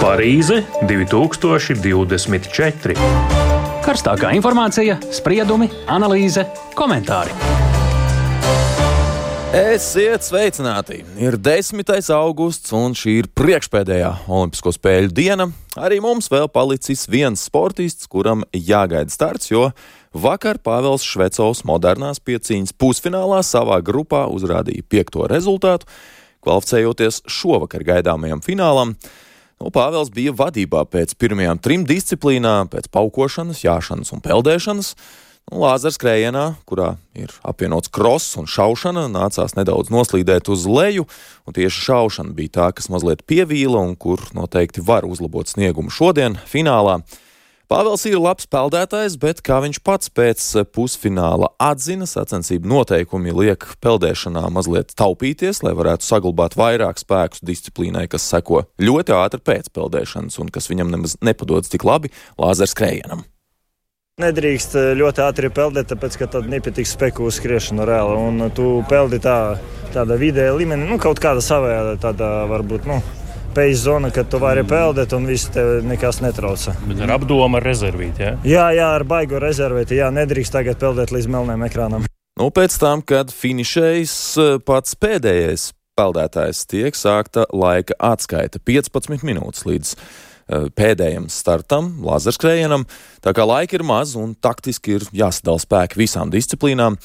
Parīze 2024. Karstākā informācija, spriedumi, analīze, komentāri. Esiet sveicināti! Ir 10. augusts un šī ir priekšpēdējā Olimpisko spēļu diena. Arī mums vēl palicis viens sportists, kuram jāgaida starts, jo vakar Pāvels Švecovs modernās piecīņas pusfinālā savā grupā uzrādīja 5. rezultātu, kvalificējoties šovakar gaidāmajam finālam. Pāvels bija vadībā pēc pirmajām 3 disciplīnām, pēc paukošanas, jāšanas un peldēšanas. Lāzerskrējienā, kurā ir apvienots kross un šaušana, nācās nedaudz noslīdēt uz leju, un tieši šaušana bija tā, kas mazliet pievīla un kur noteikti var uzlabot sniegumu šodien finālā. Pāvels ir labs peldētājs, bet, kā viņš pats pēc pusfināla atzina, sacensību noteikumi liek peldēšanā mazliet taupīties, lai varētu saglabāt vairāk spēkus disciplīnai, kas seko ļoti ātri pēc peldēšanas un kas viņam nemaz nepadodas tik labi lāzerskrējienam. Nedrīkst ļoti ātri peldēt, tāpēc, ka tad nepietiks spēku uz skriešanu reāli, un tu peldi tāda vidēja līmenī, kaut kāda savējā, tāda varbūt, pēc zona, kad tu vari peldēt un viss tev nekas netrauca. Bet ar apdomu ar rezervīti, ja? Jā, ar baigu rezervīti, nedrīkst tagad peldēt līdz melniem ekrānam. Pēc tam, kad finišējis pats pēdējais peldētājs, tiek sākta laika atskaita 15 minūtes līdz pēdējiem startam, lāzerskrējienam, tā kā laika ir maz un taktiski ir jāsadala spēki visām disciplīnām.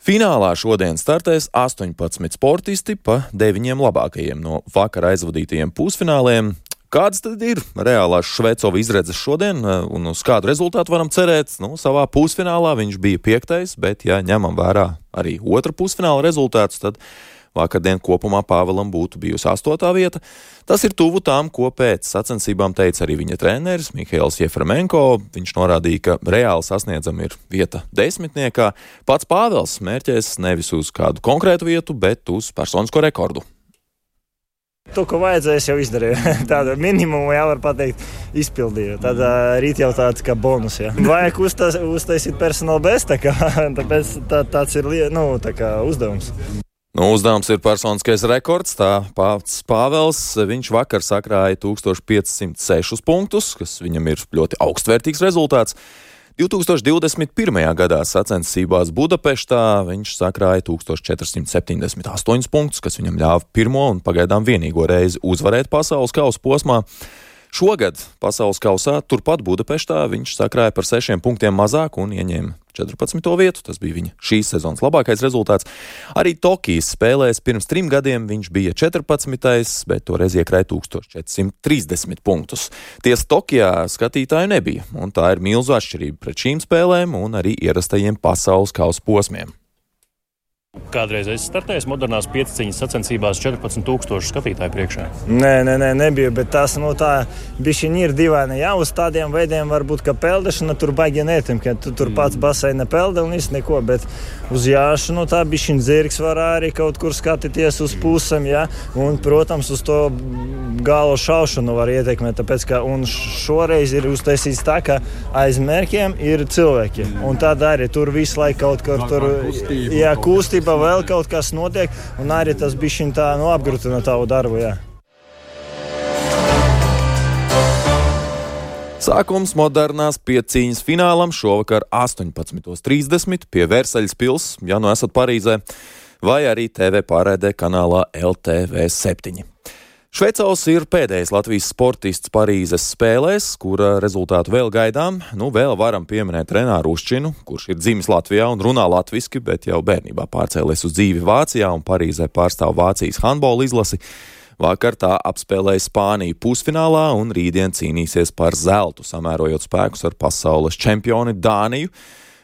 Finālā šodien startēs 18 sportisti pa 9 labākajiem no vakar aizvadītajiem pusfināliem. Kādas tad ir reālās Švecova izredzes šodien un uz kādu rezultātu varam cerēt? Savā pusfinālā viņš bija 5., bet ja ņemam vērā arī otra pusfināla rezultātus, tad vakardien kopumā Pāvelam būtu bijusi 8. vieta. Tas ir tuvu tām, ko pēc sacensībām teica arī viņa treneris Mihails Jefremenko. Viņš norādīja, ka reāli sasniedzama ir vieta 10. Pats Pāvels mērķēs nevis uz kādu konkrētu vietu, bet uz personisko rekordu. To, ko vajadzēja, es jau izdarīju. Tādu minimumu, var pateikt, izpildīju. Tad rīt jau tāds kā bonus, Vajag uztaisīt personāla bez, tāpēc tāds ir uzdevums. Uzdevums ir personiskais rekords, tā pats Pāvels, viņš vakar sakrāja 1506 punktus, kas viņam ir ļoti augstvērtīgs rezultāts. 2021. gadā sacensībās Budapeštā viņš sakrāja 1478 punktus, kas viņam ļāva pirmo un pagaidām vienīgo reizi uzvarēt pasaules kausa posmā. Šogad pasaules kausā turpat Budapeštā viņš sakrāja par 6 punktiem mazāk un ieņēma 14. vietu. Tas bija viņa šīs sezonas labākais rezultāts. Arī Tokijas spēlēs pirms 3 gadiem viņš bija 14., bet toreiz iekrāja 1430 punktus. Tiesa Tokijā skatītāju nebija, un tā ir milzu atšķirība pret šīm spēlēm un arī ierastajiem pasaules kausa posmiem. Kādreiz es startēju modernās piecīņas sacensībās 14,000 skatītāju priekšā. Nē, nebija, bet tas tā bišķiņi ir dīvaini. Uz tādiem veidiem varbūt, ka peldešana tur baigi netim, ka tu tur pats baseina pelda un viss neko, bet uz jāšanu tā bišķiņi zirgs var arī kaut kur skatīties uz pusēm, un, protams, uz to galo šaušanu var ietekmēt, tāpēc, ka un šoreiz ir uztaisīts tā, ka aiz mērķiem ir cilvēki, un tad arī tur visu laiku kaut kur tur, kustība vēl kaut kas notiek, un arī tas bišķiņ tā apgrūtina tavu darbu, Sākums modernās piecīņas finālam šovakar 18:30 pie Versaļas pils, ja esat Parīzē, vai arī TV pārraidē kanālā LTV7. Švecovs ir pēdējais Latvijas sportists Parīzes spēlēs, kura rezultātu vēl gaidām. Vēl varam pieminēt Renāru Uščinu, kurš ir dzimis Latvijā un runā latviski, bet jau bērnībā pārcēlies uz dzīvi Vācijā un Parīzē pārstāv Vācijas handbola izlasi. Vakar tā apspēlēja Spāniju pusfinālā un rītdien cīnīsies par zeltu, samērojot spēkus ar pasaules čempioni Dāniju.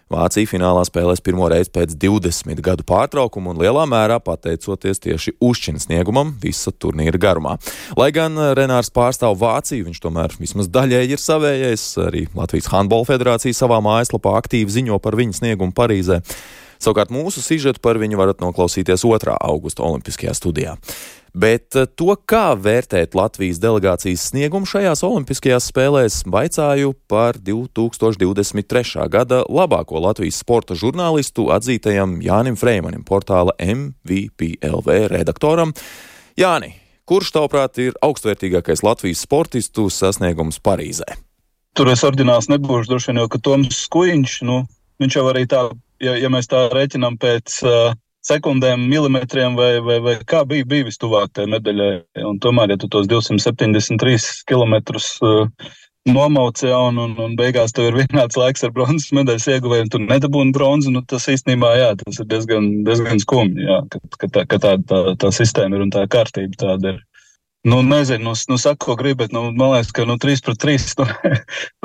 Vācija finālā spēlēs pirmo reizi pēc 20 gadu pārtraukuma un lielā mērā pateicoties tieši Ušķinas sniegumam visa turnīra garumā. Lai gan Renārs pārstāv Vāciju, viņš tomēr vismaz daļēji ir savējais. Arī Latvijas handbola federācija savā mājaslapā aktīvi ziņo par viņa sniegumu Parīzē. Savukārt mūsu sižetu par viņu varat noklausīties 2. augusta Olimpiskajā studijā. Bet to, kā vērtēt Latvijas delegācijas sniegumu šajās olimpiskajās spēlēs, vaicāju par 2023. gada labāko Latvijas sporta žurnālistu atzītajam Jānim Freimanim, portāla MVP LV redaktoram. Jāni, Kurš, tavuprāt, ir augstvērtīgākais Latvijas sportistu sasniegums Parīzē? Tur es oriģināls nebūšu, droši vien jau, ka Toms Skujiņš, viņš jau arī tā, ja mēs tā reiķinām pēc sekundēm, milimetriem vai kā bija vistuvāk tai medaļai. Un tomēr, ja tu tos 273 kilometrus nomauc, un beigās tev ir vienāds laiks ar bronzas medaļas ieguvēju, un tu nedabūni bronzu, tas īstenībā, tas ir diezgan skumji, ka tā sistēma ir un tā kārtība tāda ir. Nezinu, saka, ko gribi, bet, man liekas, ka 3-3,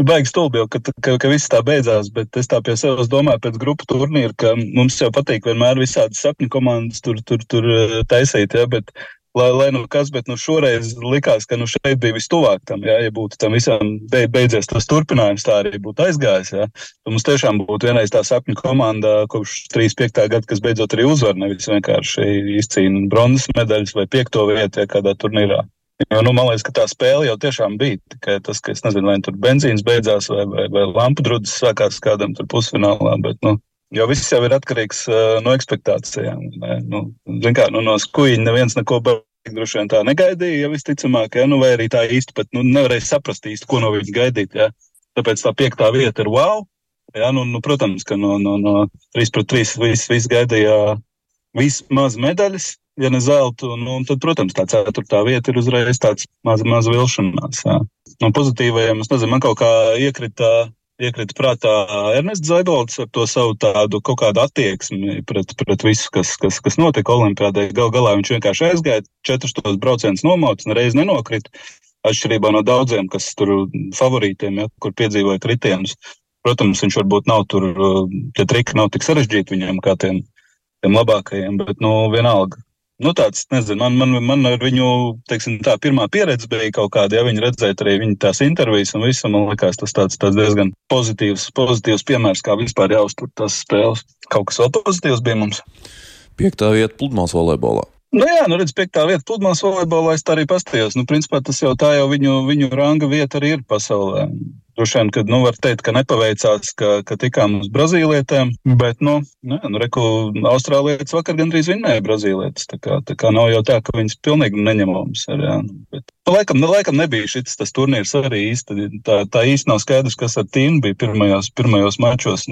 baigi stulbi jau, ka viss tā beidzās, bet es tā pie sevis domāju pēc grupu turnīra, ka mums jau patīk vienmēr visādi sapņu komandas tur taisīt, bet, lai kas, bet, šoreiz likās, ka, šeit bija vistuvāk tam, ja būtu tam visam beidzies tas turpinājums, tā arī būtu aizgājis, Mums tiešām būtu vienreiz tā sapņu komanda kopš 35. gada, kas beidzot arī uzvar, nevis vienkārši izcīna bronzas medaļas vai 5. vietu, kādā turnīrā. Jo, man liekas, ka tā spēle jau tiešām bija, tikai tas, ka es nezinu, vai tur benzīns beidzās vai lampu drudzes sākās kādam tur pusfinālā, bet, jo viss jau ir atkarīgs no ekspektācijām. Zin kā, no Skujiņa neviens neko droši vien tā negaidīja, ja visticamāk, vai arī tā īsti pat nevarēja saprast īsti, ko no viņa gaidīt, Tāpēc tā 5. vieta ir wow, protams, ka no 3-3 viss gaidīja vismaz medaļas, ja ne zeltu, tad, protams, tā 4. vieta ir uzreiz tāds maz vilšanās, Pozitīvajiem, es nezinu, man kaut kā iekrita prātā Ernests Zaibolds ar to savu tādu kaut kādu attieksmi pret visu, kas notika olimpiādē. Galā viņš vienkārši aizgāja, 4 braucienus nomauts, nereiz nenokrita, atšķirībā no daudziem, kas tur favorītiem, kur piedzīvoja kritienus. Protams, viņš varbūt nav tur, tie triki nav tik sarežģīti viņiem kā tiem labākajiem, bet, vienalga. Tāds, nezinu, man ar viņu, teiksim, tā pirmā pieredze bija kaut kāda, ja viņi redzēt arī viņa tās intervijas un visu, man likās tas tāds diezgan pozitīvs piemērs, kā vispār jāuztur tās spēles. Kaut kas vēl pozitīvs bija mums. 5. vieta pludmales volejbolā. Redz, 5. vieta pludmales volejbolā, es tā arī pastījos. Principā tas jau tā jau viņu ranga vieta arī ir pasaulē. Droši vien, kad, var teikt, ka nepaveicās, ka tikām uz brazīlietēm, bet, reku, austrālietis vakar gandrīz vinnēja brazīlietis, tā kā nav jau tā, ka viņas pilnīgi neņemams ir, bet, laikam nebija šis tas turnīrs arī īsti, tā īsti nav skaidrs, kas ar Tīnu bija pirmajos mačos,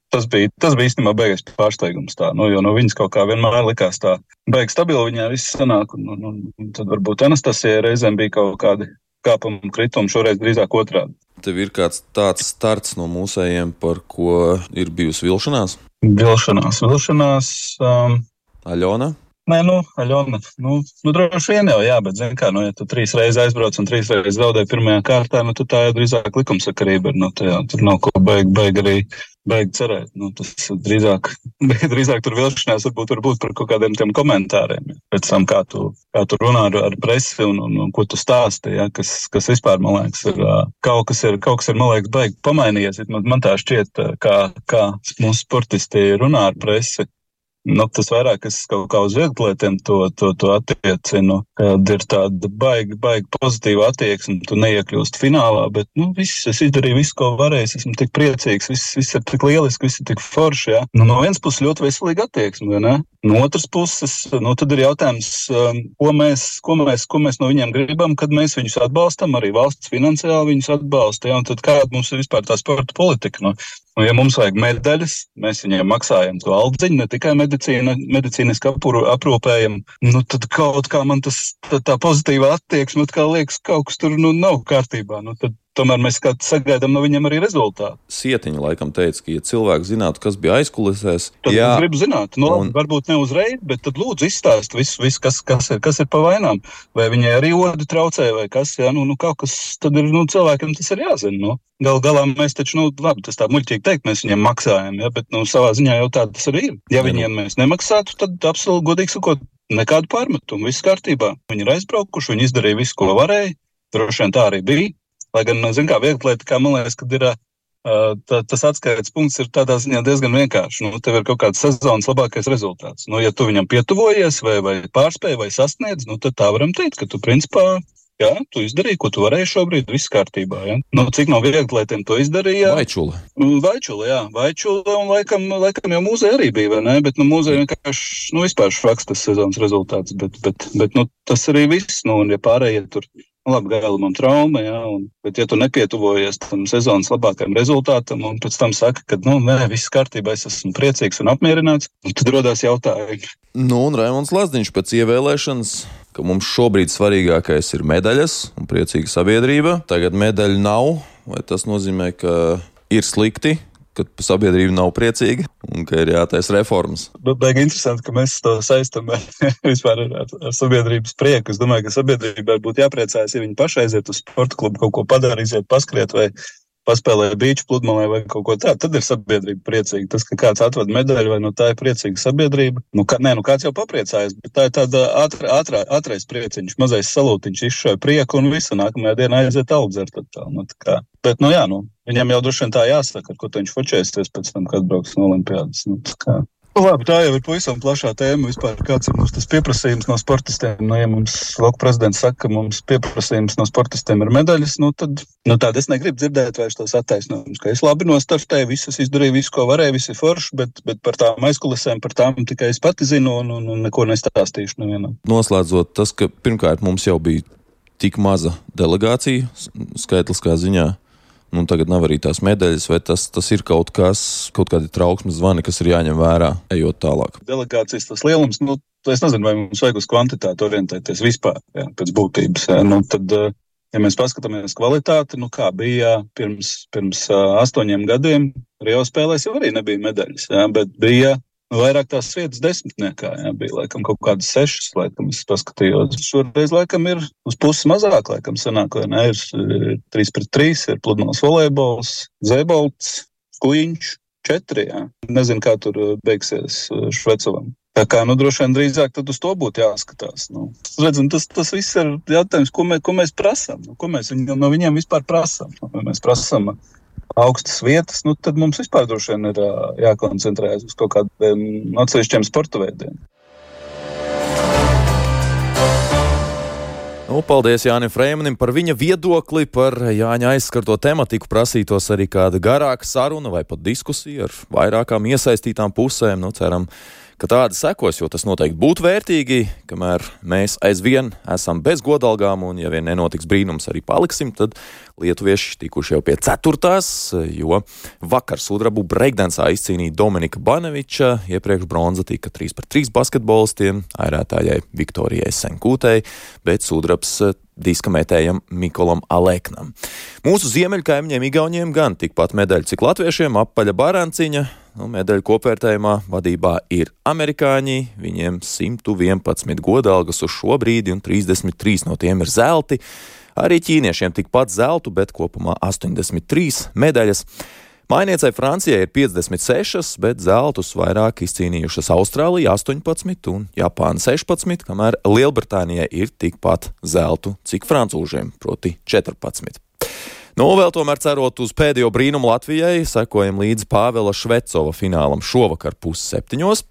Tas bija īstenībā beigais pārsteigums tā, jo no viņas kaut kā vienmēr likās tā beig stabili viņā viss sanāk, un tad varbūt Anastasijai reizēm bija kaut kādi kāpumi kritumi, šoreiz drīzāk otrādi. Tev ir kāds tāds starts no mūsējiem, par ko ir bijusi vilšanās? Vilšanās. Aļona? Nē, Aļona, droši vien jau, bet, zin kā, ja tu 3 reizes aizbrauc un 3 reizes zaudē pirmajā kārtā, tad tā jau drīzāk likumsakarība ir, tur nav ko beig cerēt, tas drīzāk tur vilšanās varbūt par kaut kādiem tiem komentāriem, pēc tam, kā tu runā ar presi un ko tu stāsti, kas vispār, man liekas, ir, kaut kas ir, man liekas, beig pamainījies, man tā šķiet, kā mūsu sportisti runā ar presi. Tas vairāk es kaut kā uz vieglatlētiem to attiecinu, kad ir tāda baigi pozitīva attieksme, tu neiekļūst finālā, bet, viss, es izdarīju visu, ko varēju, esmu tik priecīgs, viss ir tik lieliski, viss ir tik forši, No vienas puses ļoti veselīga attieksme, vai ne? No otras puses, tad ir jautājums, ko mēs no viņiem gribam, kad mēs viņus atbalstam, arī valsts finansiāli viņus atbalsta, un tad kāda mums ir vispār tā sporta politika, ja mums vajag medaļas, mēs viņiem maksājam to aldziņu, ne tikai medicīniski aprūpējam, tad kaut kā man tā pozitīvā attieksme, kā liekas, kaut kas tur nav kārtībā, tad tomēr mēs sagaidām no viņiem arī rezultātu. Sietiņa laikam teica, ka, ja cilvēki zinātu, kas bija aizkulisēs... Tad es gribu zināt, varbūt ne uzreiz, bet tad lūdzu izstāst visu kas ir pa vainām. Vai viņai arī odi traucē, vai kas, kaut kas, tad ir, cilvēkiem tas ir jāzina, Galā mēs taču, labi, tas tā muļķīgi teikt, mēs viņiem maksājam, bet, savā ziņā jau tā tas arī ir. Ja viņiem mēs nemaksātu, tad absolūti godīgi sakot, nekādu pārmetumu, viss kārtībā. Viņi ir aizbraukuši, viņi izdarīja visu, ko varēja, droši vien tā arī bija. Lai gan, kā vieglatlētā, man liekas, kad ir tas atskaites punkts ir tādā ziņā diezgan vienkārši. Tev ir kaut kāds sezonas labākais rezultāts. Ja tu viņam pietuvojies vai pārspēji vai sasniedz, tad tā varam teikt, ka tu principā Jā, tu izdarīji, ko tu varēji šobrīd, viss kārtībā, jā. Nu, cik nav viegli, lai tiem to izdarīja? Vaičula, jā. Vaičula un laikam jau Mūzei arī bija, vai ne? Bet, Mūzei vienkārši, vispār švaks tas sezonas rezultāts, bet, tas arī viss, un ja pārējie tur, labi, Gailimam trauma, jā, bet ja tu nepietuvojies tam sezonas labākajam rezultātam un pēc tam saka, ka, viss kārtībā, es esmu priecīgs un apmierināts, tad rodās jautājumi. Un Raimonds Lazdiņš pēc ievēlēšanas, ka mums šobrīd svarīgākais ir medaļas un priecīga sabiedrība. Tagad medaļu nav, vai tas nozīmē, ka ir slikti, ka sabiedrība nav priecīga un ka ir jātaisa reformas? Baigi interesanti, ka mēs to saistam vispār ar sabiedrības prieku. Es domāju, ka sabiedrībai būtu jāpriecājas, ja viņi paši aiziet uz sporta klubu, kaut ko padara, iziet paskriet vai paspēlē bīču pludmalē vai kaut ko tādu, tad ir sabiedrība priecīga. Tas, ka kāds atved medaļu, vai tā ir priecīga sabiedrība. Kāds jau papriecājas, bet tā ir tāda ātrais prieciņš, mazais salūtiņš, izšauj prieku un visu nākamajā dienā aiziet augdzert. Bet, viņam jau droši vien tā jāsaka, ar ko viņš fočēsies pēc tam, kad brauks no Olimpiādas. Labi, tā jau ir pavisam plašā tēma vispār, kāds ir mums tas pieprasījums no sportistiem. Ja mums lauka prezidents saka, ka mums pieprasījums no sportistiem ir medaļas, tad es negribu dzirdēt vairs tos attaisnojumus, ka es labi nostartēju, visas izdarīju, visu, ko varēju, visi forši, bet par tām aizkulisēm, par tām tikai es pati zinu un neko nestāstīšu nevienam. Noslēdzot tas, ka pirmkārt mums jau bija tik maza delegācija skaitliskā ziņā, tagad nav arī tās medaļas, vai tas ir kaut kādi trauksmes zvani, kas ir jāņem vērā, ejot tālāk? Delegācijas tas lielums, es nezinu, vai mums vajag uz kvantitāti orientēties vispār, pēc būtības. Tad, ja mēs paskatāmies kvalitāti, kā bija pirms 8 gadiem, Rio spēlēs jau arī nebija medaļas, bet bija vairāk tās vietas desmitniekā, bija laikam kaut kādas 6, laikam es paskatījos. Šoreiz laikam ir uz puses mazāk, laikam sanāk, vai ne, ir 3-3, ir pludmales volejbols, zēbolts, kujiņš, 4, Nezinu, kā tur beigsies Švecovam. Tā kā, droši vien drīzāk tad uz to būtu jāskatās. Redzam, tas viss ir jautājums, ko mēs prasām, ko mēs no viņiem vispār prasām. Ja mēs prasām augstas vietas, tad mums vispār droši vien ir jākoncentrējas uz kaut kādiem atsevišķiem sporta veidiem. Paldies Jānim Freimanim par viņa viedokli, par Jāņa aizskarto tematiku. Prasītos arī kāda garāka saruna vai pat diskusija ar vairākām iesaistītām pusēm. Ceram, ka tāda sekos, jo tas noteikti būtu vērtīgi, kamēr mēs aizvien esam bez godalgām un, ja vien nenotiks brīnums, arī paliksim, tad lietuvieši tikuši jau pie 4. jo vakar sudrabu breakdancā izcīnīja Dominika Baneviča, iepriekš bronza tika 3-3 basketbolistiem, airētājai Viktorijai Senkūtei, bet sudrabs diskametējam Mikolam Aleknam. Mūsu ziemeļkaimiņiem Igauniem gan tikpat medaļu, cik latviešiem, apaļa Baranciņa. Medaļu kopvērtējumā vadībā ir amerikāņi, viņiem 111 godalgas uz šo brīdi un 33 no tiem ir zelti. Arī ķīniešiem tikpat zeltu, bet kopumā 83 medaļas. Mājniecei Francijai ir 56, bet zeltus vairāk izcīnījušas Austrālija 18 un Japāna 16, kamēr Lielbritānijai ir tikpat zeltu, cik francūžiem, proti 14. Vēl tomēr cerot uz pēdējo brīnumu Latvijai, sekojam līdz Pāvela Švecova finālam šovakar 6:30.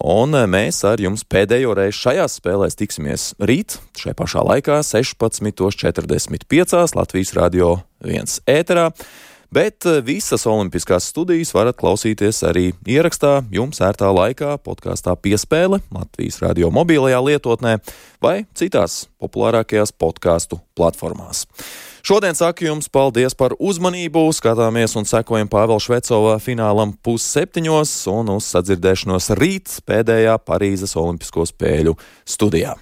Un mēs ar jums pēdējo reizi šajās spēlēs tiksimies rīt, šai pašā laikā 16:45 Latvijas Radio 1 ēterā. Bet visas olimpiskās studijas varat klausīties arī ierakstā jums ērtā laikā, podkāstā Piespēle, Latvijas radio mobilajā lietotnē vai citās populārākajās podkāstu platformās. Šodien saku jums paldies par uzmanību, skatāmies un sekojam Pāvela Švecova finālam 6:30 un uz sadzirdēšanos rīt pēdējā Parīzes Olimpisko spēļu studijā.